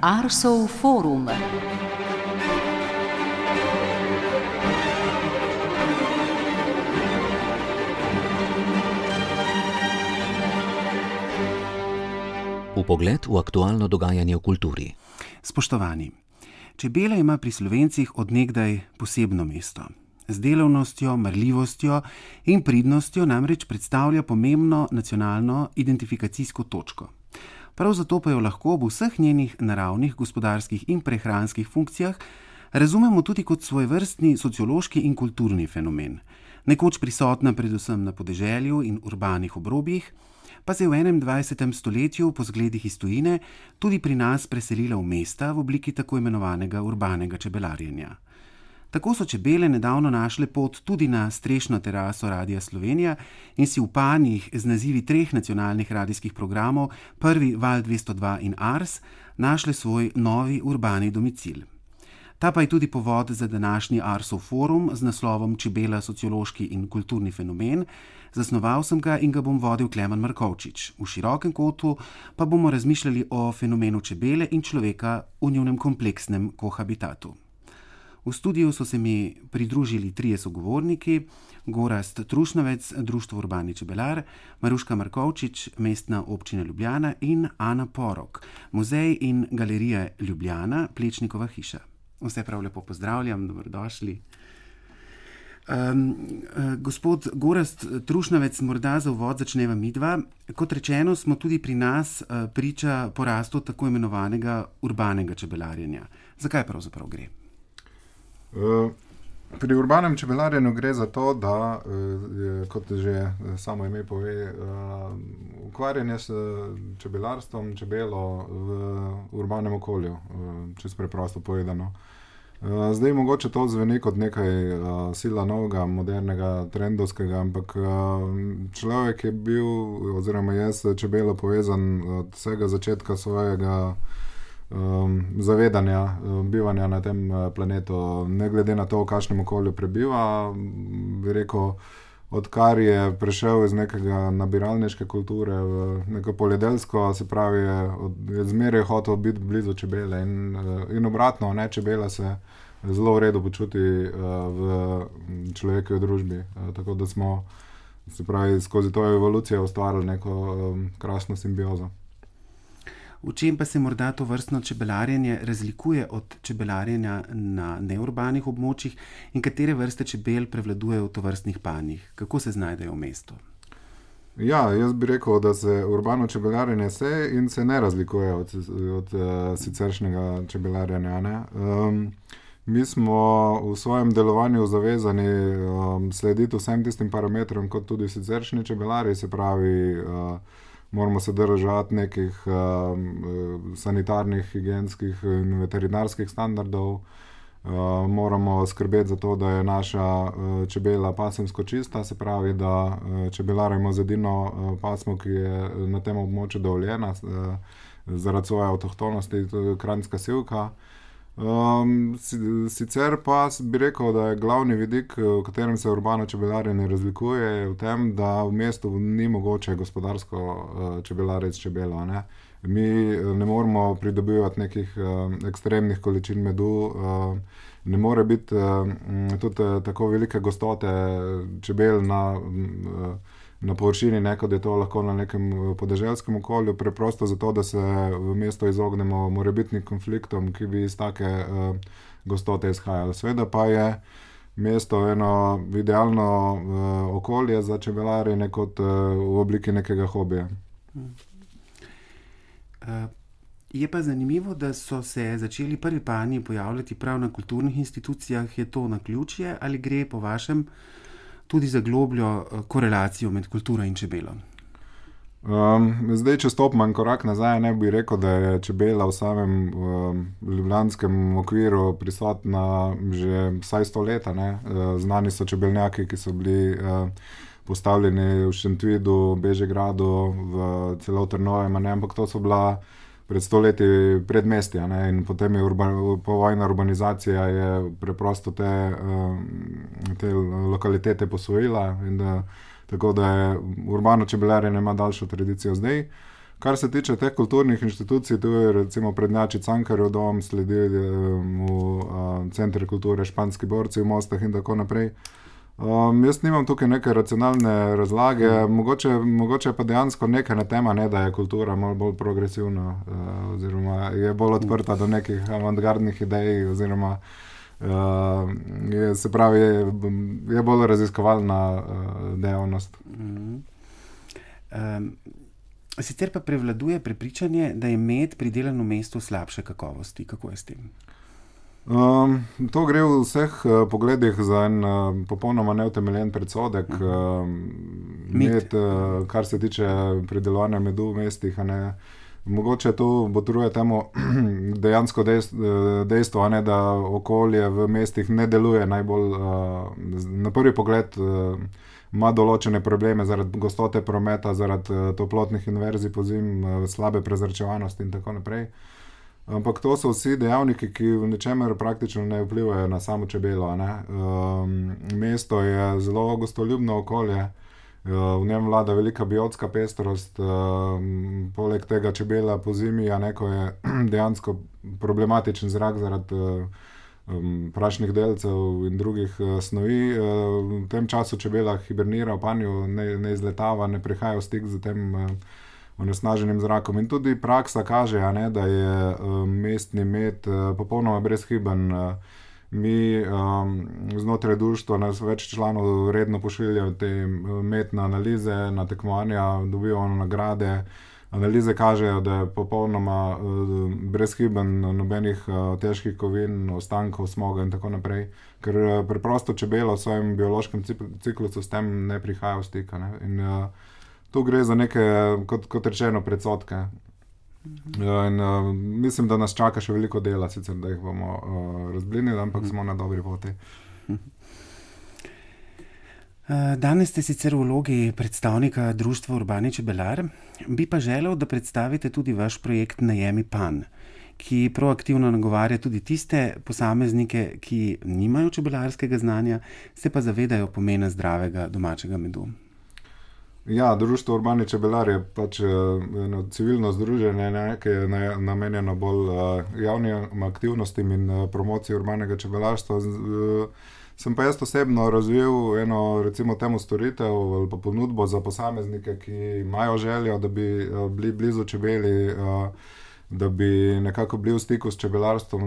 Arsov forum. Vpogled v aktualno dogajanje v kulturi. Spoštovani, čebela ima pri Slovencih od nekdaj posebno mesto. Z delavnostjo, marljivostjo in pridnostjo namreč predstavlja pomembno nacionalno identifikacijsko točko. Prav zato pa jo lahko v vseh njenih naravnih, gospodarskih in prehranskih funkcijah razumemo tudi kot svojevrstni sociološki in kulturni fenomen. Nekoč prisotna predvsem na podeželju in urbanih obrobjih, pa se je v 21. stoletju po zgledih iz tujine tudi pri nas preselila v mesta v obliki tako imenovanega urbanega čebelarjenja. Tako so čebele nedavno našle pot tudi na strešno teraso Radia Slovenija in si v panjih z nazivi 3 nacionalnih radijskih programov, prvi Val 202 in Ars, našle svoj novi urbani domicil. Ta pa je tudi povod za današnji Arsov forum z naslovom Čebela, sociološki in kulturni fenomen. Zasnoval sem ga in ga bom vodil Klemen Markovčič. V širokem kotu pa bomo razmišljali o fenomenu čebele in človeka v njunem kompleksnem kohabitatu. V studiu so se mi pridružili 3 sogovorniki: Gorazd Trušnovec, Društvo Urbani čebelar, Maruška Markovčič, Mestna občina Ljubljana in Ana Porok, Muzej in galerija Ljubljana, Plečnikova hiša. Vse prav lepo pozdravljam, dobrodošli. Gospod Gorazd Trušnovec, morda za uvod začneva midva. Kot rečeno, smo tudi pri nas priča porastu tako imenovanega urbanega čebelarjenja. Zakaj pravzaprav gre? Pri urbanem čebelarjenju gre za to, da, kot že samo ime pove, ukvarjanje s čebelarstvom, čebelo v urbanem okolju, čisto preprosto povedano. Zdaj mogoče to zveni kot nekaj sila novega, modernega, trendovskega, ampak človek je bil, oziroma je s čebelo povezan od vsega začetka svojega zavedanja, bivanja na tem planetu, ne glede na to, v kakšnem okolju prebiva. Bi rekel, odkar je prešel iz nekega nabiralniške kulture v neko poljedelsko, se pravi, je zmeraj hotel biti blizu čebele in obratno, ne, čebela se zelo v redu počuti v človekovi družbi. Tako da smo, se pravi, skozi to evolucijo ustvarili neko krasno simbiozo. V čem pa se morda to vrstno čebelarjenje razlikuje od čebelarjenja na neurbanih območjih in katere vrste čebel prevladujejo v tovrstnih panjih? Kako se znajdejo v mestu? Ja, jaz bi rekel, da se urbano čebelarjenje se ne razlikuje od siceršnjega čebelarjenja, ne. Mi smo v svojem delovanju zavezani slediti vsem tistim parametrom, kot tudi siceršnji čebelarji, se pravi, moramo se držati nekih sanitarnih, higienskih in veterinarskih standardov. Moramo skrbeti za to, da je naša čebela pasemsko čista, se pravi, da čebelarimo z edino pasmo, ki je na tem območju dovoljena zaradi svoje avtohtonosti, to je kranjska sivka. Sicer pa bi rekel, da je glavni vidik, v katerem se urbano čebelarjenje razlikuje, v tem, da v mestu ni mogoče gospodarsko čebelariti s čebelo, ne. Mi ne moremo pridobivati nekih ekstremnih količin medu, ne more biti tudi tako velike gostote čebel na površini, ne, kot je to lahko na nekem podeželskem okolju, preprosto zato, da se v mesto izognemo morebitnim konfliktom, ki bi iz take gostote izhajali. Seveda pa je mesto eno idealno okolje za čebelarjenje kot v obliki nekega hobija. Je pa zanimivo, da so se začeli prvi panji pojavljati prav na kulturnih institucijah. Je to naključje ali gre po vašem tudi za globljo korelacijo med kulturo in čebelo? Zdaj, če stopim en korak nazaj, ne bi rekel, da je čebela v samem ljubljanskem okviru prisotna že vsaj 100 let, ne. Znani so čebelnjaki, ki so bili postavljeni v Šentvidu, Bežigradu, celo v Trnovem, ne, ampak to so bila pred 100 leti predmestja, ne, in potem je povojna urbanizacija je preprosto te lokalitete posvojila in tako da je urbano čebelarjenje ima daljšo tradicijo zdaj. Kar se tiče teh kulturnih inštitucij, tu je recimo prednjači Cankarjev dom, sledi mu Center kulture Španski borci v Mostah in tako naprej. Jaz nimam tukaj neke racionalne razlage, mogoče pa dejansko neka na tema, ne, da je kultura malo bolj progresivna, oziroma je bolj odprta do nekih avantgardnih idej, oziroma se pravi, je bolj raziskovalna dejavnost. Sicer pa prevladuje prepričanje, da je med pridelan v mestu slabše kakovosti. Kako je s tem? To gre v vseh pogledih za en popolnoma neutemeljen predsodek. Med, kar se tiče pridelovanja medu v mestih, mogoče to botruje temu dejansko dejstvo, da okolje v mestih ne deluje najbolj, na prvi pogled ima določene probleme zaradi gostote prometa, zaradi toplotnih inverzij pozim, slabe prezračevanosti in tako naprej. Ampak to so vsi dejavniki, ki v ničemer praktično ne vplivajo na samo čebelo. Mesto je zelo gostoljubno okolje, v njem vlada velika biotska pestrost, poleg tega čebela pozimi, ko je dejansko problematičen zrak zaradi prašnih delcev in drugih snovi. V tem času čebela hibernira v panju, ne izletava, ne prihaja v stik z tem onesnaženim zrakom. In tudi praksa kaže, da je mestni med popolnoma brezhiben. Mi znotraj društva nas več članov redno pošiljajo te medne analize, na tekmovanja, dobivamo nagrade. Analize kažejo, da je popolnoma brezhiben, nobenih težkih kovin, ostankov, smoga in tako naprej, ker preprosto čebela v svojem biološkem ciklusu s tem ne prihaja v stik. In tu gre za neke, kot rečeno, predsodke. In mislim, da nas čaka še veliko dela, sicer da jih bomo razblinili, ampak smo na dobri poti. Danes ste sicer v vlogi predstavnika društva Urbani čebelar, bi pa želel, da predstavite tudi vaš projekt Najemi Pan, ki proaktivno nagovarja tudi tiste posameznike, ki nimajo čebelarskega znanja, se pa zavedajo pomena zdravega domačega medu. Ja, društvo Urbani čebelar je pač eno civilno združenje, ki je namenjeno bolj javnim aktivnostim in promociji urbanega čebelarstva. Sem pa jaz osebno razvil eno, recimo temu, storitev ali pa ponudbo za posameznike, ki imajo željo, da bi bili blizu čebeli, da bi nekako bili v stiku s čebelarstvom,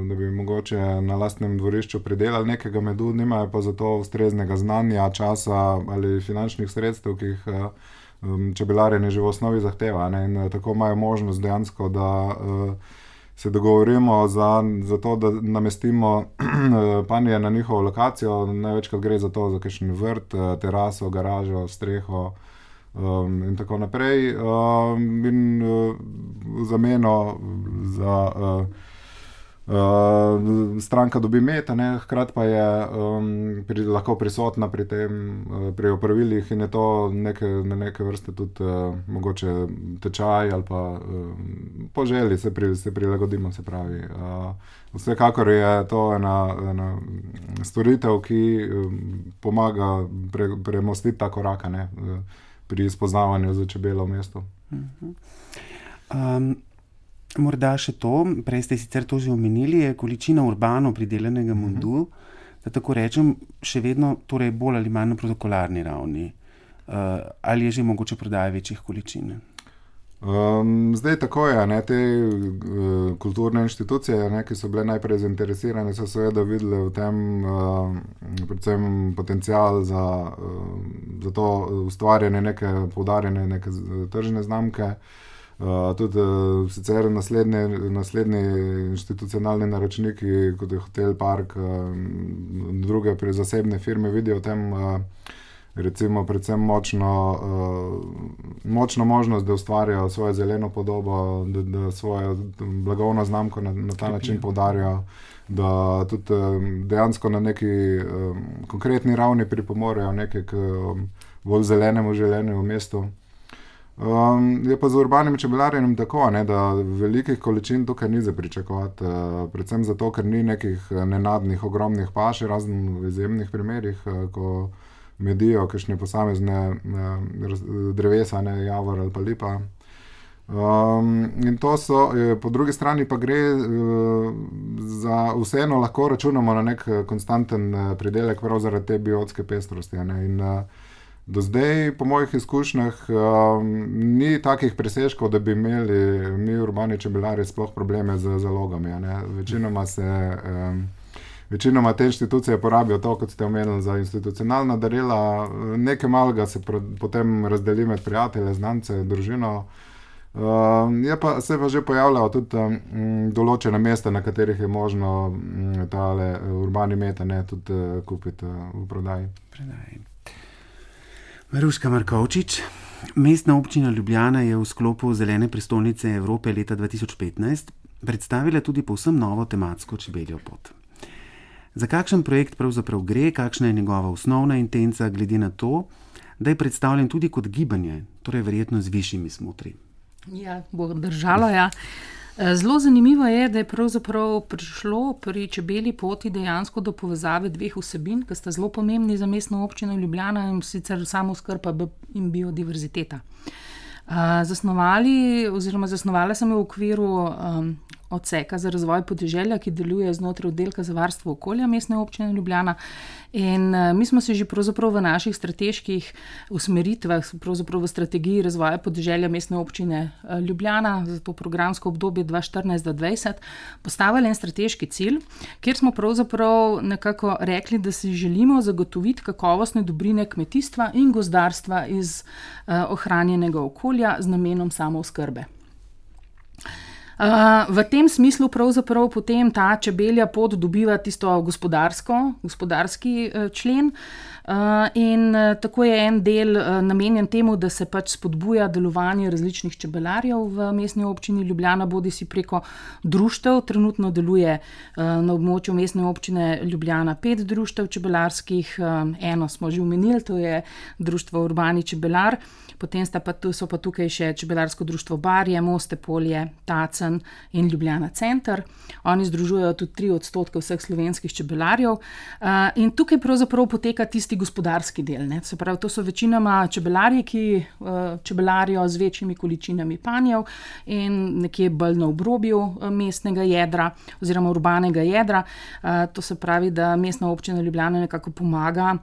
da bi mogoče na lastnem dvorišču pridelali nekega medu, nimajo pa za to ustreznega znanja, časa ali finančnih sredstev, ki jih čebelarjenje že v osnovi zahteva. In tako imajo možnost dejansko, da se dogovorimo za to, da namestimo panje na njihovo lokacijo. Največkrat gre za to, za kakšen vrt, teraso, garažo, streho in tako naprej. In v zameno za stranka dobi med, hkrati pa je lahko prisotna pri tem, pri opravilih, in je to na neke vrste tudi mogoče tečaj ali pa po želji se prilagodimo, se pravi. Vsekakor je to ena storitev, ki pomaga premostiti ta korak pri spoznavanju za čebelo v mestu. Morda še to, prej ste sicer to že omenili, je količina urbano pridelanega medu, da tako rečem, še vedno torej bolj ali manj na protokolarni ravni. Ali je že mogoče prodaja večjih količin? Zdaj tako je, te kulturne inštitucije, ki so bile najprej zainteresirane, so seveda videli v tem predvsem potencial za to ustvarjanje neke poudarjene, neke tržne znamke. Tudi sicer naslednji institucionalni naročniki, kot je Hotel Park, druge zasebne firme vidijo v tem recimo predvsem močno možnost, da ustvarjajo svojo zeleno podobo, da svojo blagovno znamko na ta način poudarjajo, da tudi dejansko na neki konkretni ravni pripomorejo nekaj k bolj zelenemu življenju v mestu. Je pa z urbanim čebelarjenjem tako, da velikih količin tukaj ni za pričakovati, predvsem zato, ker ni nekih nenadnih, ogromnih paš, razen v izjemnih primerih, ko medijo kakšne posamezne drevesa, javor ali pa lipa. In to so, po drugi strani pa gre za vseeno lahko računamo na nek konstanten pridelek prav zaradi te biotske pestrosti. In do zdaj, po mojih izkušnjah, ni takih presežkov, da bi imeli mi urbani čebelarji sploh probleme z zalogami. Večinoma te inštitucije porabijo to, kot ste omenili, za institucionalna darila, nekaj malega se potem razdeli med prijatelje, znance, družino. Se pa že pojavljajo tudi določene mesta, na katerih je možno tale urbani meta tudi kupiti v prodaji. Maruška Markovčič, Mestna občina Ljubljana je v sklopu Zelene prestolnice Evrope leta 2015 predstavila tudi povsem novo tematsko čebeljo pot. Za kakšen projekt pravzaprav gre, kakšna je njegova osnovna intenca, glede na to, da je predstavljen tudi kot gibanje, torej verjetno z višjimi smotri? Ja, bo držalo, ja. Zelo zanimivo je, da je pravzaprav prišlo pri čebelji poti dejansko do povezave dveh vsebin, ki sta zelo pomembni za Mestno občino Ljubljana, in sicer samooskrba in biodiverziteta. Zasnovala sem v okviru odseka za razvoj podeželja, ki deluje znotraj oddelka za varstvo okolja Mestne občine Ljubljana. In mi smo se že pravzaprav v naših strateških usmeritvah, pravzaprav v strategiji razvoja podeželja Mestne občine Ljubljana za to programsko obdobje 2014-2020 postavili en strateški cilj, kjer smo pravzaprav nekako rekli, da si želimo zagotoviti kakovostne dobrine kmetijstva in gozdarstva iz ohranjenega okolja z namenom samooskrbe. V tem smislu pravzaprav potem ta čebelja pot dobiva tisto gospodarski člen, in tako je en del namenjen temu, da se pač spodbuja delovanje različnih čebelarjev v Mestni občini Ljubljana, bodisi preko društev. Trenutno deluje na območju Mestne občine Ljubljana 5 društev čebelarskih, eno smo že omenili, to je društvo Urbani čebelar. Potem so pa tukaj še čebelarsko društvo Barje, Moste polje, Tacen in Ljubljana center. Oni združujejo tudi 3% vseh slovenskih čebelarjev. In tukaj pravzaprav poteka tisti gospodarski del. Ne? Se pravi, to so večinoma čebelarji, ki čebelarijo z večjimi količinami panjev in nekje bolj na obrobju mestnega jedra oziroma urbanega jedra. To se pravi, da Mestna občina Ljubljana nekako pomaga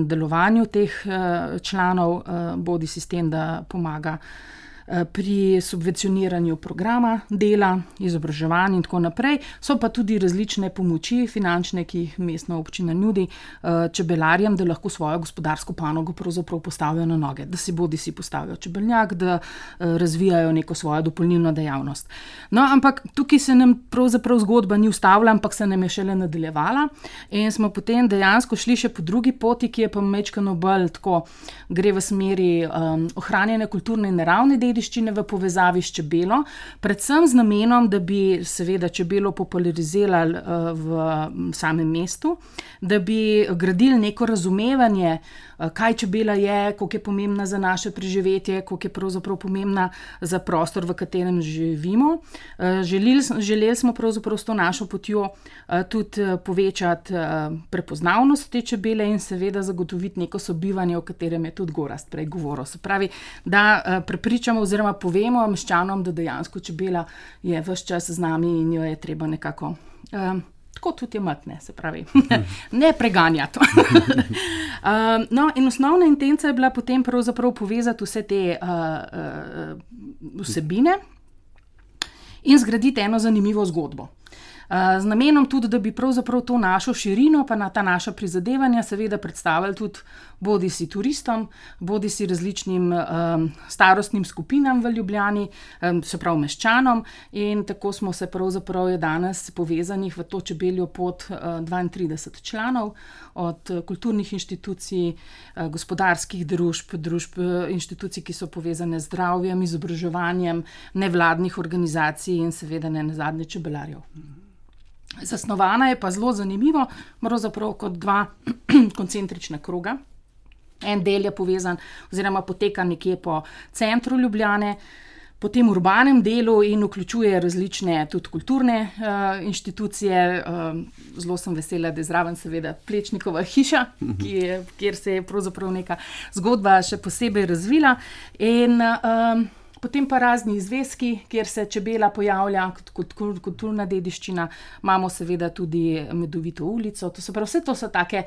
delovanju teh članov, bodi sistem, da pomaga pri subvencioniranju programa, dela, izobraževanja in tako naprej. So pa tudi različne pomoči finančne, ki jih Mestna občina nudi čebelarjem, da lahko svojo gospodarsko panogo pravzaprav postavijo na noge, da si bodisi postavijo čebelnjak, da razvijajo neko svojo dopolnilno dejavnost. No, ampak tukaj se nam pravzaprav zgodba ni ustavila, ampak se nam je šele nadaljevala in smo potem dejansko šli še po drugi poti, ki je pa majčkeno bolj tako, gre v smeri ohranjene kulturne in naravne dediščine v povezavi s čebelo, predvsem z namenom, da bi seveda čebelo popularizirali v samem mestu, da bi gradili neko razumevanje, kaj čebela je, koliko je pomembna za naše preživetje, koliko je pravzaprav pomembna za prostor, v katerem živimo. Želeli smo pravzaprav s to našo potjo tudi povečati prepoznavnost te čebele in seveda zagotoviti neko sobivanje, o katerem je tudi Gorazd prej govoril. Se pravi, da prepričamo oziroma povemo meščanom, da dejansko čebela je ves čas z nami in jo je treba nekako tako tudi imati, se pravi, ne preganjati. No, in osnovna intenca je bila potem pravzaprav povezati vse te vsebine in zgraditi eno zanimivo zgodbo. Z namenom tudi, da bi pravzaprav to našo širino, pa na ta naša prizadevanja seveda predstavili tudi bodisi turistom, bodisi različnim starostnim skupinam v Ljubljani, se pravi meščanom, in tako smo se pravzaprav je danes povezanih v to čebeljo pot 32 članov, od kulturnih inštitucij, gospodarskih družb, inštitucij, ki so povezane z zdravjem, izobraževanjem, nevladnih organizacij in seveda ne nazadnje čebelarjev. Zasnovana je pa zelo zanimivo, pravzaprav kot dva koncentrična kroga. En del je povezan oziroma poteka nekje po centru Ljubljane, po tem urbanem delu in vključuje različne tudi kulturne inštitucije. Zelo sem vesela, da je zraven seveda Plečnikova hiša, kjer se je pravzaprav neka zgodba še posebej razvila. In Potem pa razni izveski, kjer se čebela pojavlja kot kulturna dediščina. Imamo seveda tudi Medovito ulico. To se pravi, vse to so take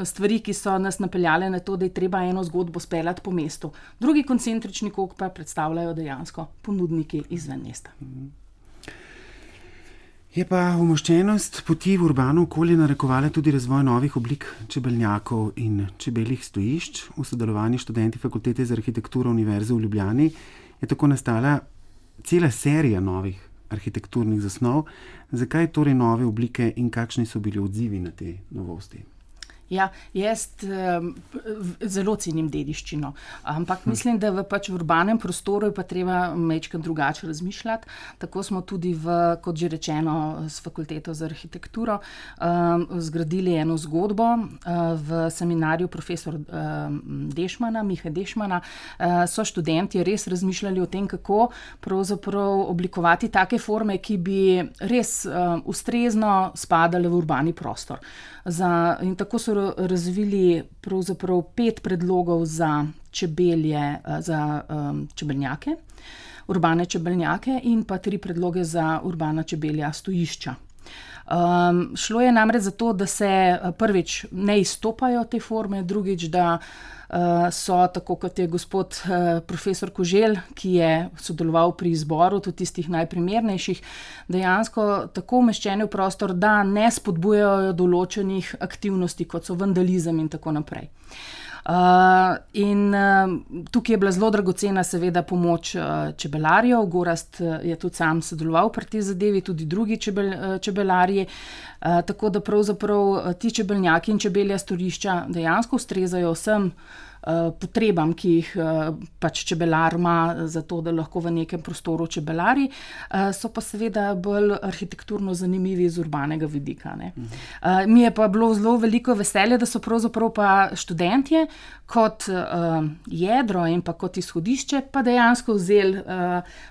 stvari, ki so nas napeljale na to, da je treba eno zgodbo speljati po mestu. Drugi koncentrični krog pa predstavljajo dejansko ponudniki izven mesta. Je pa umoščenost poti v urbano okolje narekovala tudi razvoj novih oblik čebelnjakov in čebeljih stojišč. V sodelovanju študenti Fakultete za arhitekturo Univerze v Ljubljani je tako nastala cela serija novih arhitekturnih zasnov. Zakaj torej nove oblike in kakšni so bili odzivi na te novosti? Ja, jaz zelo cenim dediščino, ampak mislim, da v urbanem prostoru je pa treba majčkeno drugače razmišljati. Tako smo tudi kot že rečeno, s Fakulteto za arhitekturo zgradili eno zgodbo v seminarju profesor Mihe Dešmana. So študenti res razmišljali o tem, kako pravzaprav oblikovati take forme, ki bi res ustrezno spadale v urbani prostor. In tako so razvili pravzaprav 5 predlogov za čebelnjake, urbane čebelnjake in pa 3 predloge za urbana čebelja stojišča. Šlo je namreč za to, da se prvič ne izstopajo te forme, drugič, da so, tako kot je gospod profesor Koželj, ki je sodeloval pri izboru tudi tistih najprimernejših, dejansko tako umeščeni v prostor, da ne spodbujajo določenih aktivnosti, kot so vandalizem in tako naprej. Tukaj je bila zelo dragocena seveda pomoč čebelarjev. Gorazd je tudi sam sodeloval pri tej zadevi, tudi drugi čebelarji, tako da pravzaprav ti čebelnjaki in čebelja storišča dejansko ustrezajo vsem potrebam, ki jih pač čebelar ima za to, da lahko v nekem prostoru čebelari, so pa seveda bolj arhitekturno zanimivi iz urbanega vidika, ne. Mi je pa bilo zelo veliko veselje, da so pravzaprav pa študentje kot jedro in pa kot izhodišče pa dejansko vzeli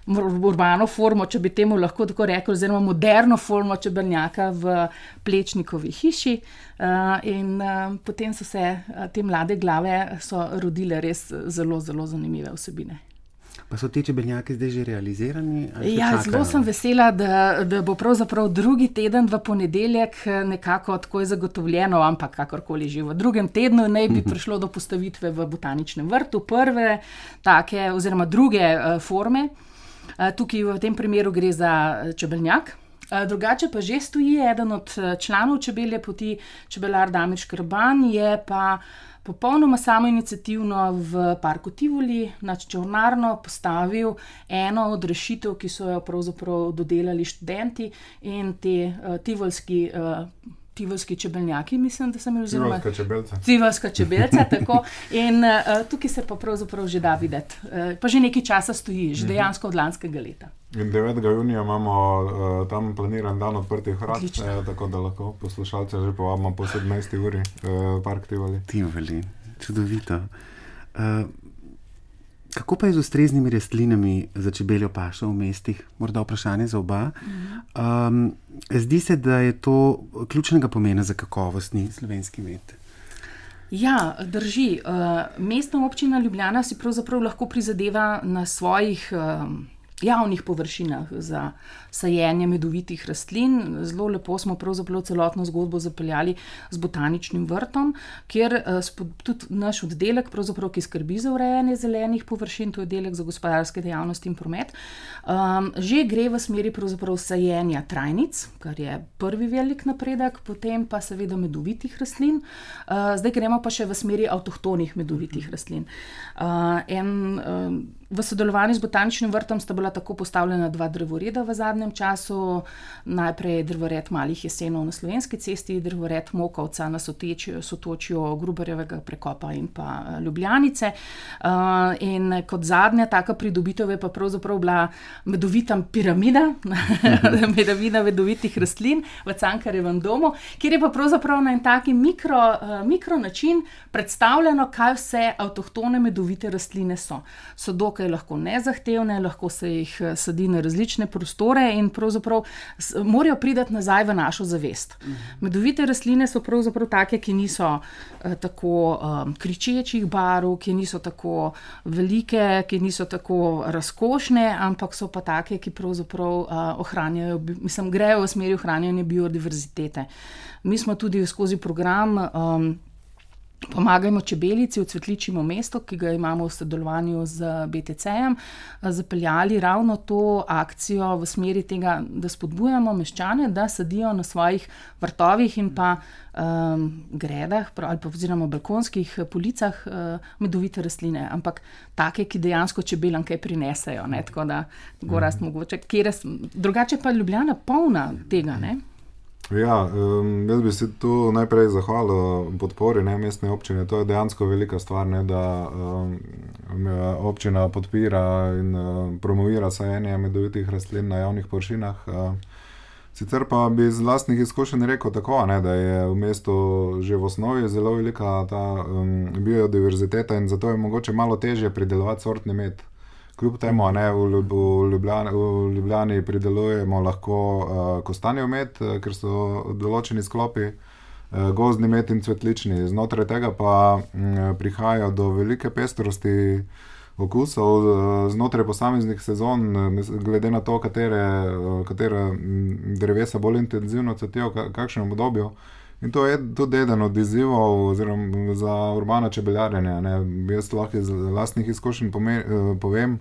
urbano formo, če bi temu lahko tako rekli, oziroma moderno formo čebelnjaka v Plečnikovi hiši, in potem so se te mlade glave so rodile res zelo, zelo zanimive vsebine. Pa so te čebelnjake zdaj že realizirani? Ja, zelo sem vesela, da bo pravzaprav drugi teden v ponedeljek nekako tako zagotovljeno, ampak kakorkoli že v drugem tednu naj bi prišlo do postavitve v Botaničnem vrtu prve take oziroma druge forme. Tukaj v tem primeru gre za čebelnjak. Drugače pa že stoji eden od članov Čebelje poti, čebelar Damir Škrban, je pa popolnoma samoiniciativno v parku Tivoli nad Čolnarno postavil eno od rešitev, ki so jo pravzaprav dodelali študenti in te tivolski čebelnjaki, mislim, da sem jih vzela. Tivolska čebelca, tako. In tukaj se pa pravzaprav že da videti. Pa že nekaj časa stoji, že dejansko od lanskega leta. In 9. junija imamo tam planiran dan odprtih vrat, tako da lahko poslušalce že povabimo po 17. uri park Tivoli. Tivoli, čudovito. Kako pa je z ustreznimi rastlinami za čebeljo pašo v mestih? Morda vprašanje za oba. Zdi se, da je to ključnega pomena za kakovostni slovenski med. Ja, drži. Mestna občina Ljubljana si pravzaprav lahko prizadeva na svojih javnih površinah za sajenje medovitih rastlin. Zelo lepo smo pravzaprav celotno zgodbo zapeljali z Botaničnim vrtom, kjer tudi naš oddelek, pravzaprav, ki skrbi za urejanje zelenih površin, to je oddelek za gospodarske dejavnosti in promet, že gre v smeri pravzaprav sajenja trajnic, kar je prvi velik napredek, potem pa seveda medovitih rastlin. Zdaj gremo pa še v smeri avtohtonih medovitih rastlin. V sodelovanju z Botaničnim vrtom sta bila tako postavljena 2 drevoreda v zadnjem času. Najprej drevored Malih jesenov na Slovenski cesti, drevored Mokovca na sotočju Gruberjevega prekopa in pa Ljubljanice. In kot zadnja taka pridobitev je pa pravzaprav bila medovita piramida, medovina medovitih rastlin v Cankarjevem domu, kjer je pa pravzaprav na en taki mikro način predstavljeno, kaj vse avtohtone medovite rastline so. So dokaj dokaj lahko nezahtevne, lahko se jih sadi na različne prostore in pravzaprav morajo priti nazaj v našo zavest. Medovite rastline so pravzaprav take, ki niso tako kričečih barv, ki niso tako velike, ki niso tako razkošne, ampak so pa take, ki pravzaprav ohranjajo, grejo v smeri ohranjanja biodiverzitete. Mi smo tudi skozi program Pomagajmo čebelici v Cvetličjem mestu, ki ga imamo v sodelovanju z BTC-jem, zapeljali ravno to akcijo v smeri tega, da spodbujamo meščane, da sadijo na svojih vrtovih in pa gredah ali pa oziroma balkonskih policah medovite rastline, ampak take, ki dejansko čebelam kaj prinesejo, ne? Tako da Gorazd mogoče, drugače pa Ljubljana polna tega, ne? Ja, jaz bi si tu najprej zahvalil podpori mestne občine. To je dejansko velika stvar, ne, da občina podpira in promovira sajenje medovitih rastlin na javnih površinah. Sicer pa bi iz lastnih izkušenj rekel tako, ne, da je v mestu že v osnovi zelo velika ta biodiverziteta in zato je mogoče malo težje pridelovati sortni med. Kljub temu, ne, v Ljubljani pridelujemo lahko kostanjev med, ker so določeni sklopi, gozdni med in cvetlični. Znotraj tega pa prihaja do velike pestrosti okusov znotraj posameznih sezon, glede na to, katera drevesa bolj intenzivno cvetijo v kakšnem obdobju. In to je tudi eden od izzivov za urbano čebeljarjenje. Jaz lahko iz lastnih izkušenj povem,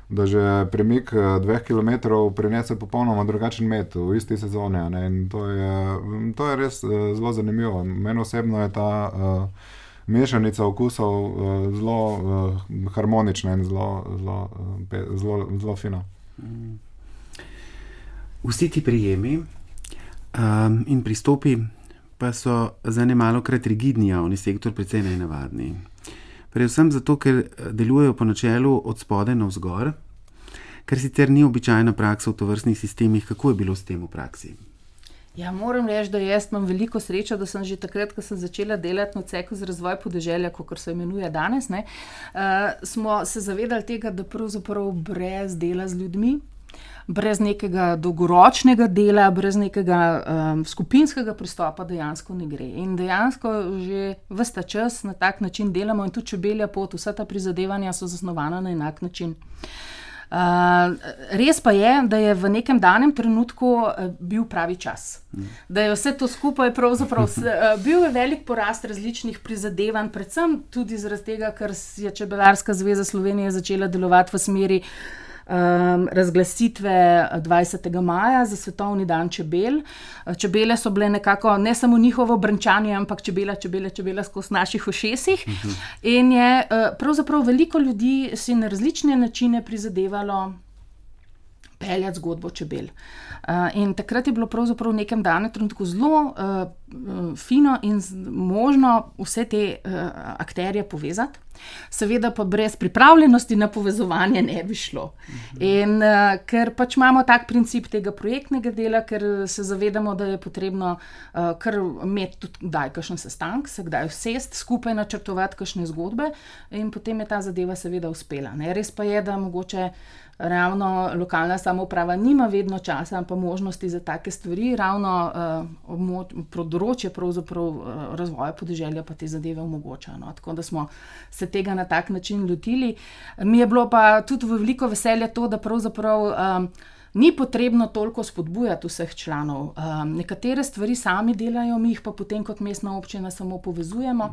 da že premik 2 kilometrov prinese popolnoma drugačen med v isti sezoni. In to je res zelo zanimivo. Meni osebno je ta mešanica okusov zelo harmonična in zelo fina. Vsi ti prijemi in pristopi pa so za nemalokrat rigidni javni sektor precej nenavadni. Predvsem zato, ker delujejo po načelu od spodaj navzgor, kar sicer ni običajna praksa v tovrstnih sistemih. Kako je bilo s tem v praksi? Ja, moram reči, da jaz imam veliko srečo, da sem že takrat, ko sem začela delati na odseku za razvoj podeželja, kakor se imenuje danes, smo se zavedali tega, da pravzaprav brez dela z ljudmi, brez nekega dolgoročnega dela, brez nekega skupinskega pristopa dejansko ne gre. In dejansko že ves ta čas na tak način delamo in tudi Čebelja pot, vsa ta prizadevanja so zasnovana na enak način. Res pa je, da je v nekem danem trenutku bil pravi čas. Da je vse to skupaj pravzaprav bil je velik porast različnih prizadevanj, predvsem tudi zaradi tega, ker je Čebelarska zveza Slovenije začela delovati v smeri razglasitve 20. maja za Svetovni dan čebel. Čebele so bile nekako ne samo njihovo brenčanje, ampak čebela skozi naših ušesih. In je pravzaprav veliko ljudi si na različne načine prizadevalo peljati zgodbo čebel. In takrat je bilo pravzaprav v nekem danem trenutku zelo fino in možno vse te akterje povezati. Seveda pa brez pripravljenosti na povezovanje ne bi šlo. In ker pač imamo tak princip tega projektnega dela, ker se zavedamo, da je potrebno kar imeti tudi kdaj kakšen sestanek, se kdaj usesti, skupaj načrtovati kakšne zgodbe in potem je ta zadeva seveda uspela. Res pa je, da mogoče ravno lokalna samouprava nima vedno časa, pa možnosti za take stvari, ravno področje pravzaprav razvoja podeželja pa te zadeve omogoča. Tako da smo se tega na tak način lotili. Mi je bilo pa tudi veliko veselje to, da pravzaprav ni potrebno toliko spodbujati vseh članov. Nekatere stvari sami delajo, mi jih pa potem kot mestna občina samo povezujemo.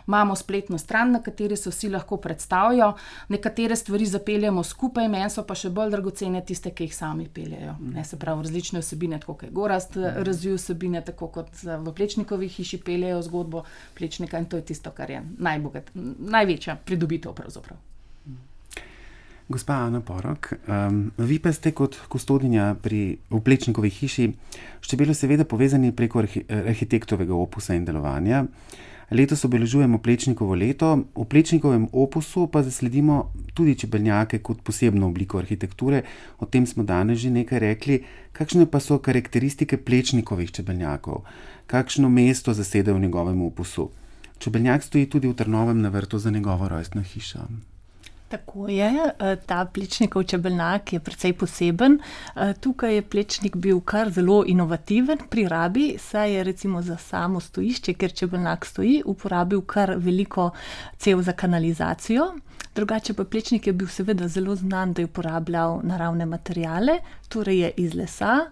Imamo spletno stran, na kateri se vsi lahko predstavijo. Nekatere stvari zapeljamo skupaj, meni so pa še bolj dragocene tiste, ki jih sami peljejo. Se pravi, različne vsebine, tako kot je Gorazd razvil vsebine, tako kot v Plečnikovi hiši peljejo zgodbo Plečnika in to je tisto, kar je največja pridobitev pravzaprav. Gospa Ana Porok, vi pa ste kot kustodinja v Plečnikovi hiši s čebelo seveda povezani preko arhitektovega opusa in delovanja. Letos obeležujemo Plečnikovo leto, v Plečnikovem opusu pa zasledimo tudi čebelnjake kot posebno obliko arhitekture. O tem smo danes že nekaj rekli. Kakšne pa so karakteristike Plečnikovih čebelnjakov? Kakšno mesto zasede v njegovem opusu? Čebelnjak stoji tudi v Trnovem na vrtu za njegovo rojstno hišo. Tako je, ta Plečnikov čebelnjak je precej poseben. Tukaj je Plečnik bil kar zelo inovativen pri rabi, saj je recimo za samo stojišče, kjer čebelnjak stoji, uporabil kar veliko cev za kanalizacijo. Drugače pa Plečnik je bil seveda zelo znan, da je uporabljal naravne materiale, torej je iz lesa,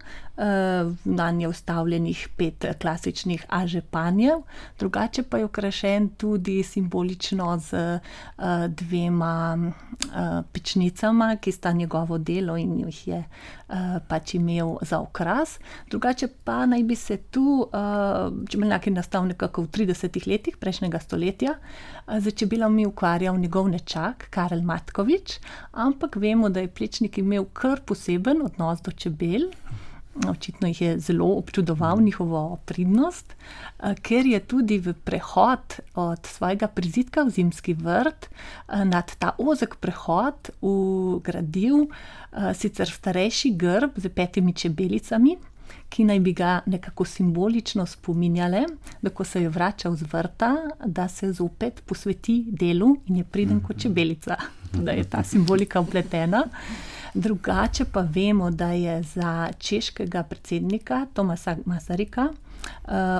nanj je vstavljenih 5 klasičnih ažepanjev, drugače pa je okrašen tudi simbolično z 2 pečnicama, ki sta njegovo delo in jih je pač imel za okras. Drugače pa naj bi se tu, čebelnjak je nastal nekako v 30 letih prejšnjega stoletja, z čebelami ukvarjal njegov nečak, Karel Matkovič, ampak vemo, da je Plečnik imel kar poseben odnos do čebel. Očitno jih je zelo občudoval njihovo pridnost, ker je tudi v prehod od svojega prizidka v zimski vrt nad ta ozek prehod vgradil sicer starejši grb z 5 čebelicami, ki naj bi ga nekako simbolično spominjale, da ko se je vračal z vrta, da se zopet posveti delu in je priden kot čebelica, da je ta simbolika vpletena. Drugače pa vemo, da je za češkega predsednika Tomasa Masarika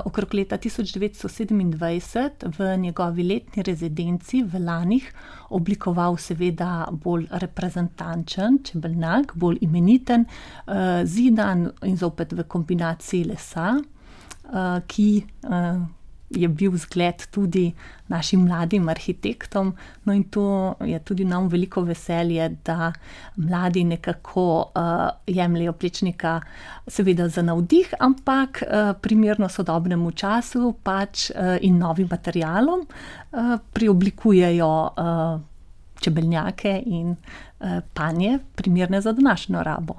okrog leta 1927 v njegovi letni rezidenci v Lanih oblikoval seveda bolj reprezentančen čebelnjak, bolj imeniten, zidan in zopet v kombinaciji lesa, ki je bil zgled tudi našim mladim arhitektom, no in to je tudi nam veliko veselje, da mladi nekako jemljejo Plečnika seveda za navdih, ampak primerno sodobnemu času pač in novim materialom preoblikujejo čebelnjake in panje primerne za današnjo rabo.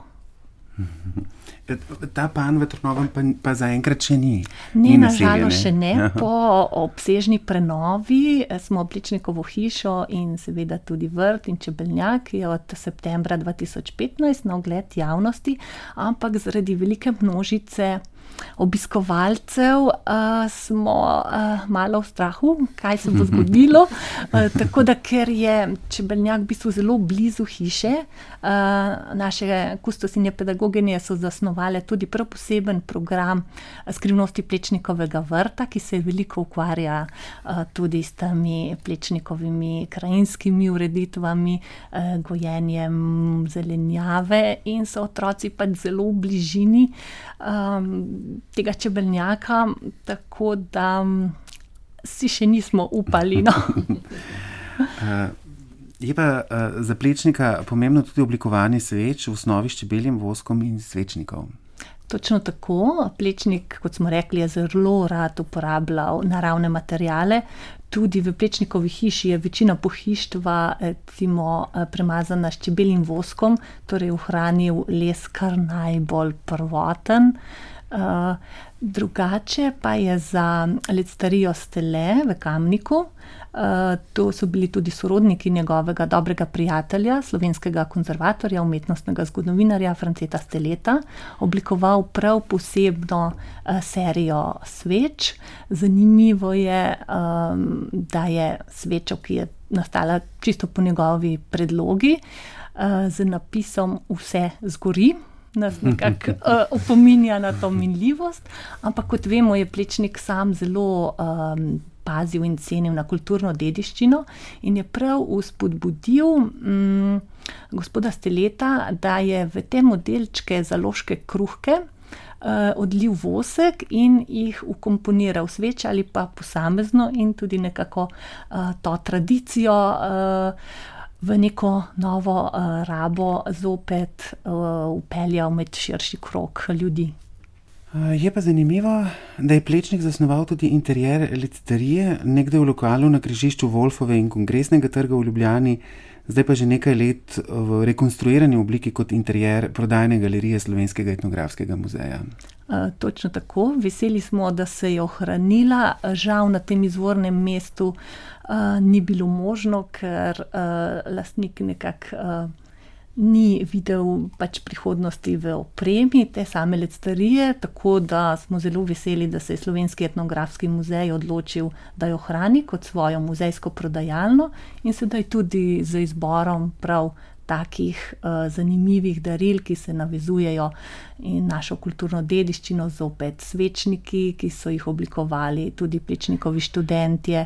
Ta pan v Trnovem pa zaenkrat še ni. Ne, nažalost še ne. Po obsežni prenovi smo Plečnikovo hišo in seveda tudi vrt in čebelnjak je od septembra 2015 na ogled javnosti, ampak zaradi velike množice obiskovalcev smo malo v strahu, kaj se bo zgodilo. Tako da, ker je čebelnjak v bistvu zelo blizu hiše, naše kustosinje pedagoginje so zasnovale tudi prav poseben program skrivnosti Plečnikovega vrta, ki se veliko ukvarja tudi s temi Plečnikovimi krajinskimi ureditvami, gojenjem zelenjave in so otroci pač zelo v bližini tega čebelnjaka, tako da si še nismo upali. No. Je pa za Plečnika pomembno tudi oblikovanje sveč v osnovi s čebeljim voskom in svečnikov. Točno tako. Plečnik, kot smo rekli, je zelo rad uporabljal naravne materiale. Tudi v Plečnikovi hiši je večina pohištva recimo premazana s čebeljim voskom, torej ohranil les kar najbolj prvoten. Drugače pa je za lectarijo Stele v Kamniku, to so bili tudi sorodniki njegovega dobrega prijatelja, slovenskega konzervatorja, umetnostnega zgodovinarja Franceta Steleta, oblikoval prav posebno serijo sveč. Zanimivo je, da je svečo, ki je nastala čisto po njegovi predlogi, z napisom Vse zgori, nas nekako opominja na to minljivost, ampak kot vemo, je Plečnik sam zelo pazil in cenil na kulturno dediščino in je prav vzpodbudil gospoda Steleta, da je v te modelčke založke kruhke odlil vosek in jih vkomponiral sveče ali pa posamezno in tudi nekako to tradicijo v neko novo rabo zopet vpeljal med širši krog ljudi. Je pa zanimivo, da je Plečnik zasnoval tudi interjer lectarije, nekdaj v lokalu na križišču Wolfove in Kongresnega trga v Ljubljani, zdaj pa že nekaj let v rekonstruirani obliki kot interjer prodajne galerije Slovenskega etnografskega muzeja. Točno tako. Veseli smo, da se je ohranila. Žal na tem izvornem mestu ni bilo možno, ker lastnik nekako ni videl pač prihodnosti v opremi te same lectarije, tako da smo zelo veseli, da se je Slovenski etnografski muzej odločil, da jo hrani kot svojo muzejsko prodajalno in sedaj tudi z izborom prav takih zanimivih daril, ki se navezujejo in našo kulturno dediščino, zopet svečniki, ki so jih oblikovali tudi Plečnikovi študentje,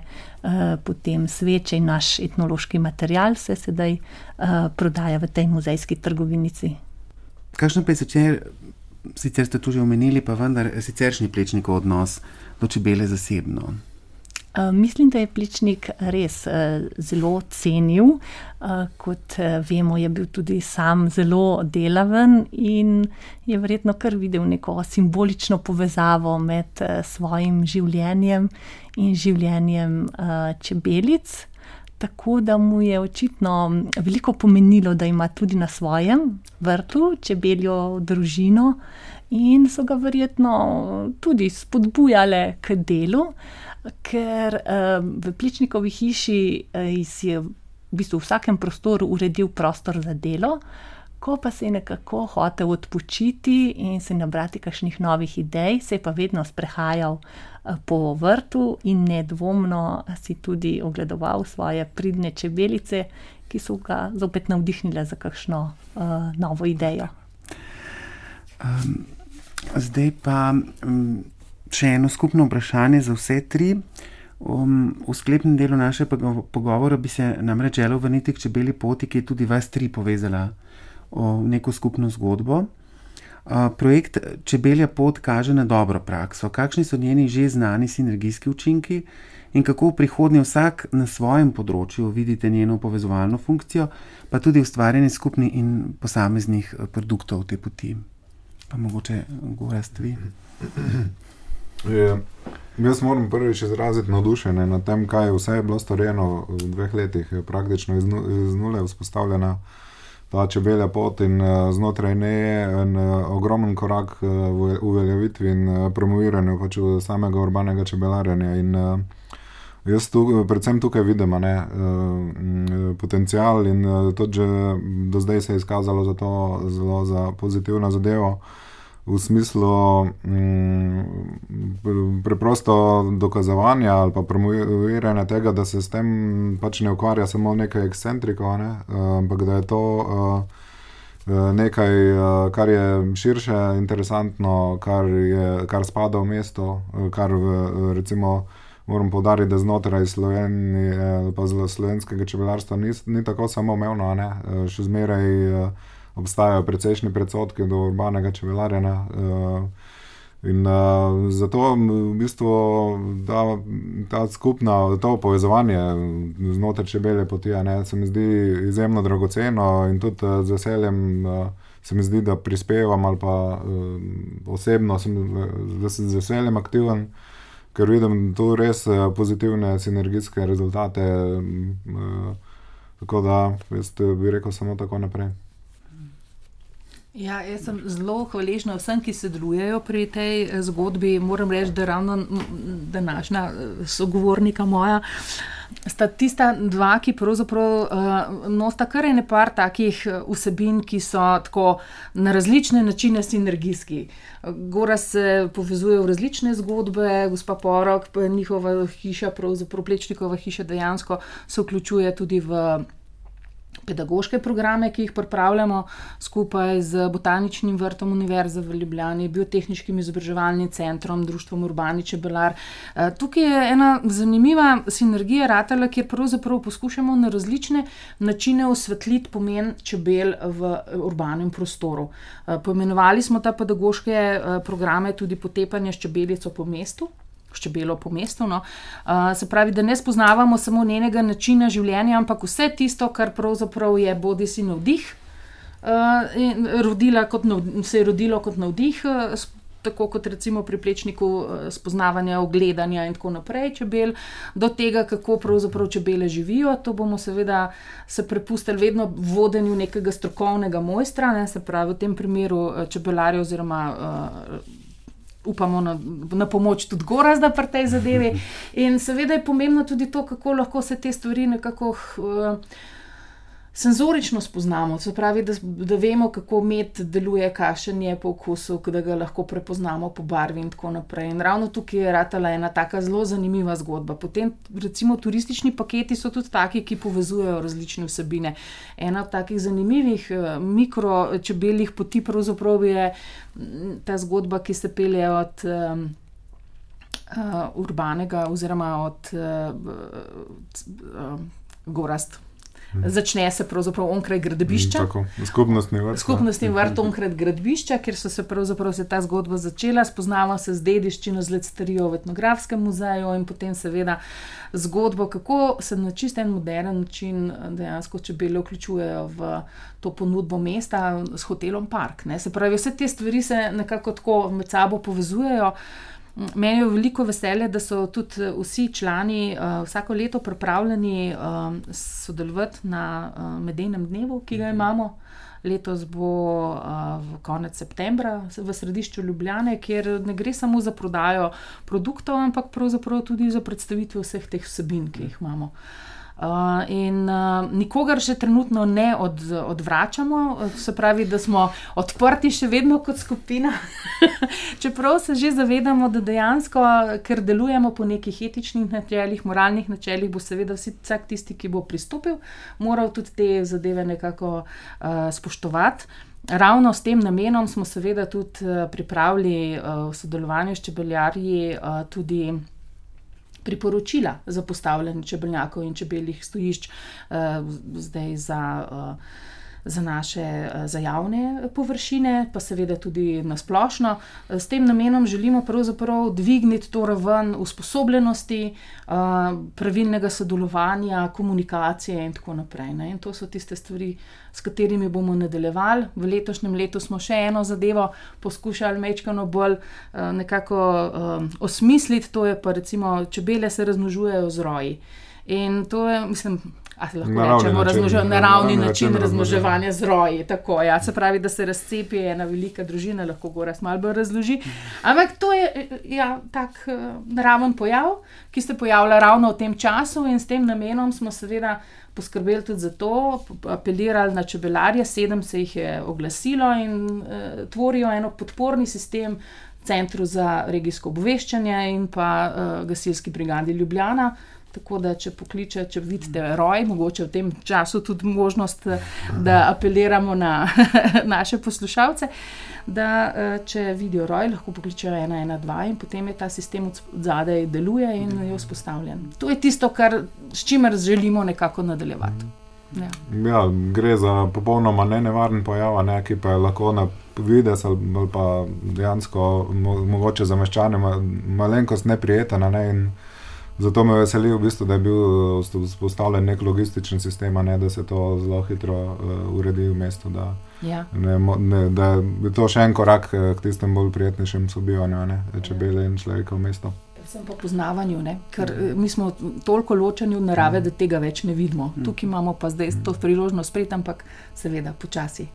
potem sveče in naš etnološki material se sedaj prodaja v tej muzejski trgovinici. Kakšno pa je sicer ste tu že omenili, pa vendar siceršnji Plečnikov odnos do čebele zasebno? Mislim, da je Plečnik res zelo cenil. Kot vemo, je bil tudi sam zelo delaven in je verjetno kar videl neko simbolično povezavo med svojim življenjem in življenjem čebelic. Tako da mu je očitno veliko pomenilo, da ima tudi na svojem vrtu čebeljo družino in so ga verjetno tudi spodbujale k delu. Ker v Plečnikovi hiši si je v bistvu v vsakem prostoru uredil prostor za delo, ko pa se je nekako hotel odpočiti in se nabrati kakšnih novih idej, se je pa vedno sprehajal po vrtu in nedvomno si tudi ogledoval svoje pridne čebelice, ki so ga zopet navdihnile za kakšno novo idejo. Zdaj pa še eno skupno vprašanje za vse tri. V sklepnem delu našega pogovora bi se namreč želel vrniti k čebelji poti, ki je tudi vas tri povezala v neko skupno zgodbo. Projekt Čebelja pot kaže na dobro prakso. Kakšni so njeni že znani sinergijski učinki in kako v prihodnje vsak na svojem področju vidite njeno povezovalno funkcijo, pa tudi ustvarjanje skupnih in posameznih produktov te poti? Pa mogoče Gorazd vi. Jaz moram prvič izraziti navdušenje nad tem, kaj vse je bilo storjeno v 2 letih. Praktično iz nule vzpostavljena ta čebelja pot in znotraj nje en ogromen korak v uveljavitvi in promoviranju pač samega urbanega čebelarjenja. In jaz predvsem tukaj vidim potencial in to že do zdaj se je izkazalo za to zelo za pozitivno zadevo. V smislu preprosto dokazovanja ali pa promoviranja tega, da se s tem pač ne ukvarja samo nekaj ekscentrikov, ampak da je to nekaj, kar je širše, interesantno, kar spada v mesto, kar recimo moram poudariti, da znotraj Slovenije ali pa slovenskega čebelarstva ni tako samoumevno, še zmeraj obstajajo precejšnji predsodki do urbanega čebelarjenja in zato v bistvu ta skupna, to povezovanje znotraj čebelje poti se mi zdi izjemno dragoceno in tudi z veseljem se mi zdi, da prispevam ali pa osebno sem z veseljem aktiven, ker vidim tu res pozitivne sinergijske rezultate, tako da jaz bi rekel samo tako naprej. Ja, jaz sem zelo hvaležna vsem, ki sodelujejo pri tej zgodbi. Moram reči, da ravno današnja sogovornika moja sta tista dva, ki pravzaprav nosita kar ene par takih vsebin, ki so tako na različne načine sinergijski. Gorazd se povezuje v različne zgodbe, gospa Porok, njihova hiša, pravzaprav Plečnikova hiša dejansko se vključuje tudi v pedagoške programe, ki jih pripravljamo skupaj z Botaničnim vrtom Univerze v Ljubljani, Biotehniškim izobraževalnim centrom, Društvom Urbani čebelar. Tukaj je ena zanimiva sinergija ratala, kjer pravzaprav poskušamo na različne načine osvetliti pomen čebel v urbanem prostoru. Poimenovali smo ta pedagoške programe tudi Potepanje s čebelico po mestu, s čebelo po mestu. Se pravi, da ne spoznavamo samo njenega načina življenja, ampak vse tisto, kar pravzaprav je bodisi navdih, se je rodilo kot navdih, tako kot recimo pri Plečniku spoznavanja, ogledanja in tako naprej čebel, do tega, kako pravzaprav čebele živijo. To bomo seveda se prepustili vedno vodenju nekega strokovnega mojstra, se pravi v tem primeru čebelarja oziroma upamo na pomoč tudi Gorazda pri tej zadevi. In seveda je pomembno tudi to, kako lahko se te stvari nekako senzorično spoznamo, se pravi, da vemo, kako med deluje, kakšen je po okusu, da ga lahko prepoznamo po barvi in tako naprej. In ravno tukaj je ratala ena taka zelo zanimiva zgodba. Potem recimo turistični paketi so tudi taki, ki povezujejo različne vsebine. Ena od takih zanimivih mikročebeljih poti pravzaprav je ta zgodba, ki se pelje od urbanega oziroma od gorast. Začne se pravzaprav onkraj gradbišča. Tako, skupnostni vrt onkraj gradbišča, kjer so se pravzaprav ta zgodba začela. Spoznava se z dediščino, z lectarijo v etnografskem muzeju in potem seveda zgodbo, kako se na čist en moderen način dejansko čebele vključujejo v to ponudbo mesta s hotelom Park. Ne? Se pravi, vse te stvari se nekako tako med sabo povezujejo. Meni je veliko veselje, da so tudi vsi člani vsako leto pripravljeni sodelovati na medejnem dnevu, ki ga imamo. Letos bo v konec septembra v središču Ljubljane, kjer ne gre samo za prodajo produktov, ampak pravzaprav tudi za predstavitve vseh teh vsebin, ki jih imamo. In nikogar še trenutno ne odvračamo, se pravi, da smo odprti še vedno kot skupina, čeprav se že zavedamo, da dejansko, ker delujemo po nekih etičnih načelih, moralnih načelih, bo seveda vsak tisti, ki bo pristopil, moral tudi te zadeve nekako spoštovati. Ravno s tem namenom smo seveda tudi pripravili v sodelovanju s čebeljarji tudi priporočila za postavljanje čebelnjakov in čebeljih stojišč zdaj za javne površine, pa seveda tudi na splošno. S tem namenom želimo pravzaprav dvigniti to raven usposobljenosti, pravilnega sodelovanja, komunikacije in tako naprej. Ne? In to so tiste stvari, s katerimi bomo nadaljevali. V letošnjem letu smo še eno zadevo poskušali majčkeno bolj nekako osmisliti, to je pa recimo čebele se razmnožujejo z roji. In to je, mislim, naravni način razmnoževanja z roji. Tako, ja. Se pravi, da se razcepi ena velika družina, lahko Gorazd malo bolj razloži. Ampak to je tak naraven pojav, ki se pojavlja ravno v tem času in s tem namenom smo seveda poskrbeli tudi za to, apelirali na čebelarje, 7 se jih je oglasilo in tvorijo eno podporni sistem Centru za regijsko obveščanje in pa gasilski brigadi Ljubljana. Tako da, če vidite roj, mogoče v tem času tudi možnost, da apeliramo na naše poslušalce, da če vidijo roj, lahko pokličejo 112 in potem je ta sistem odzadaj deluje in je vzpostavljen. To je tisto, s čimer želimo nekako nadaljevati. Ja, gre za popolnoma nenevaren pojav, ki pa je lahko na vides ali pa dejansko mogoče za meščane malenkost neprijeten, in zato me veseli v bistvu, da je bil vzpostavljen nek logističen sistem, da se to zelo hitro uredi v mestu, da je to še en korak k tistem bolj prijetnejšem sobivanju, čebele in človeka v mestu. Predvsem po poznavanju, ker mi smo toliko ločeni od narave, da tega več ne vidimo. Tukaj imamo pa zdaj to priložnost spet, ampak seveda počasi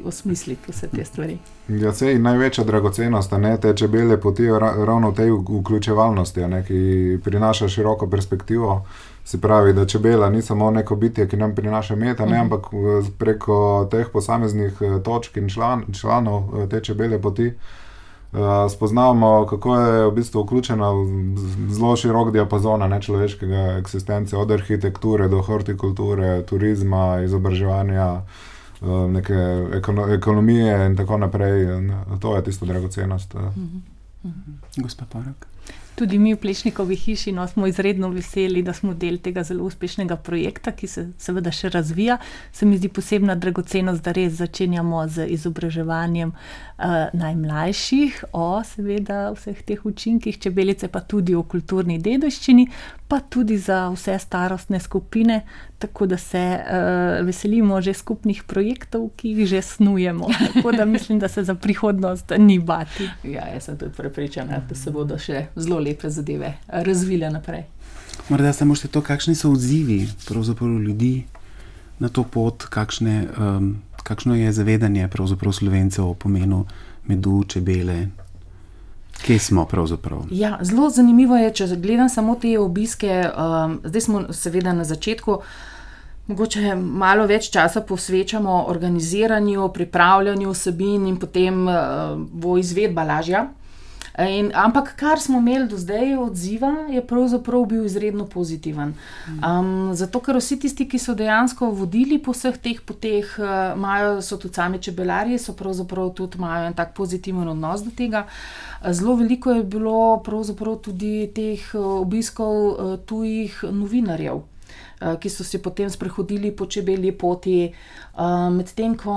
osmisliti vse te stvari. Ja, sej največja dragocenost, te čebele potijo ravno v tej vključevalnosti, ki prinaša široko perspektivo. Se pravi, da čebela ni samo neko bitje, ki nam prinaša med, ampak preko teh posameznih točk in članov te čebele poti spoznavamo, kako je v bistvu vključena v zelo širok diapazon človeškega eksistence, od arhitekture do hortikulture, turizma, izobraževanja, neke ekonomije in tako naprej. To je tisto dragocenost. Gospa Parok. Tudi mi v Plečnikovi hiši smo izredno veseli, da smo del tega zelo uspešnega projekta, ki se seveda še razvija. Se mi zdi posebna dragocenost, da res začenjamo z izobraževanjem najmlajših o seveda vseh teh učinkih čebelice, pa tudi o kulturni dediščini, pa tudi za vse starostne skupine, tako da se veselimo že skupnih projektov, ki jih že snujemo. Tako da mislim, da se za prihodnost ni bati. Ja, jaz sem tudi prepričana, da se bodo še zelo lepe zadeve razvile naprej. Morda samo še to, kakšni so odzivi pravzaprav ljudi na to pot, kakšno je zavedanje pravzaprav Slovencev o pomenu medu, čebele. Kje smo pravzaprav? Ja, zelo zanimivo je, če gledam samo te obiske, zdaj smo seveda na začetku Mogoče malo več časa posvečamo organiziranju, pripravljanju vsebin in potem bo izvedba lažja. Ampak kar smo imeli do zdaj odziva, je pravzaprav bil izredno pozitiven. Zato, ker vsi tisti, ki so dejansko vodili po vseh teh poteh, so tudi sami čebelarji, so pravzaprav tudi imajo en tak pozitiven odnos do tega. Zelo veliko je bilo pravzaprav tudi teh obiskov tujih novinarjev, ki so se potem sprehodili po čebelji poti, medtem ko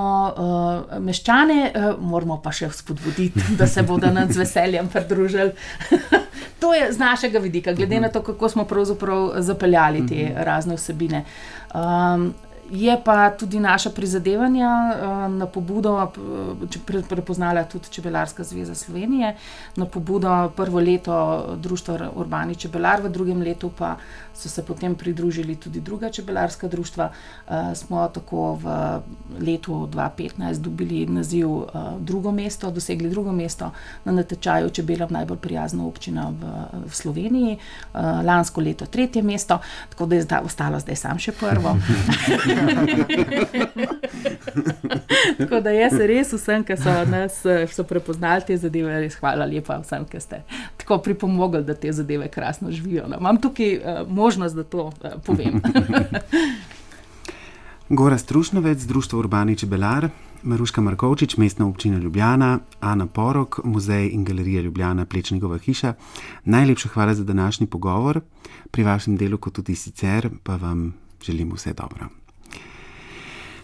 meščane moramo pa še spodbuditi, da se bodo nam z veseljem pridružili. To je z našega vidika, glede na to, kako smo pravzaprav zapeljali te razne vsebine. Je pa tudi naša prizadevanja na pobudo, prepoznala tudi Čebelarska zveza Slovenije, na pobudo prvo leto društva Urbani čebelar, v drugem letu pa so se potem pridružili tudi druga čebelarska društva. Smo tako v letu 2015 dobili naziv dosegli drugo mesto na natečaju Čebelam najbolj prijazna občina v Sloveniji, lansko leto 3. mesto, tako da je ostalo zdaj sam še prvo. Tako da jaz res vsem, ki so nas prepoznali te zadeve, res hvala lepa vsem, ki ste tako pripomogli, da te zadeve krasno živijo. Imam tukaj možnost, da to povem. Gorazd Trušnovec, Društvo Urbani čebelar, Maruška Markovčič, Mestna občina Ljubljana, Ana Porok, Muzej in galerija Ljubljana, Plečnikova hiša. Najlepša hvala za današnji pogovor. Pri vašem delu, kot tudi sicer, pa vam želim vse dobro.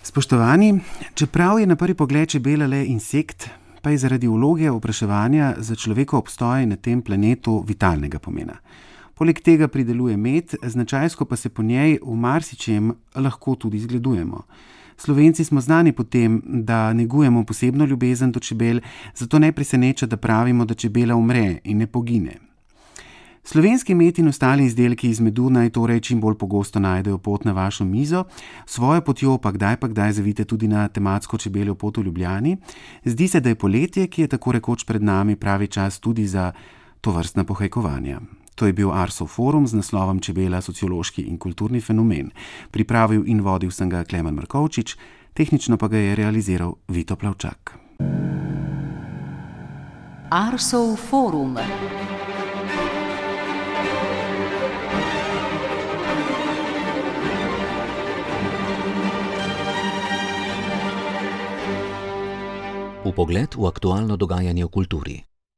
Spoštovani, čeprav je na prvi pogled čebela le insekt, pa je zaradi vloge opraševanja za človekov obstoj na tem planetu vitalnega pomena. Poleg tega prideluje med, značajsko pa se po njej v marsičem lahko tudi zgledujemo. Slovenci smo znani po tem, da negujemo posebno ljubezen do čebel, zato ne preseneča, da pravimo, da čebela umre in ne pogine. Slovenski med in ostali izdelki iz medu naj torej čim bolj pogosto najdejo pot na vašo mizo, svojo potjo pa kdaj zavite tudi na tematsko čebeljo pot v Ljubljani. Zdi se, da je poletje, ki je tako rekoč pred nami, pravi čas tudi za tovrstna pohajkovanja. To je bil Arsov forum z naslovom Čebela, sociološki in kulturni fenomen. Pripravil in vodil sem ga Klemen Markovčič, tehnično pa ga je realiziral Vito Plavčak. Arsov forum. Vpogled v aktualno dogajanje v kulturi.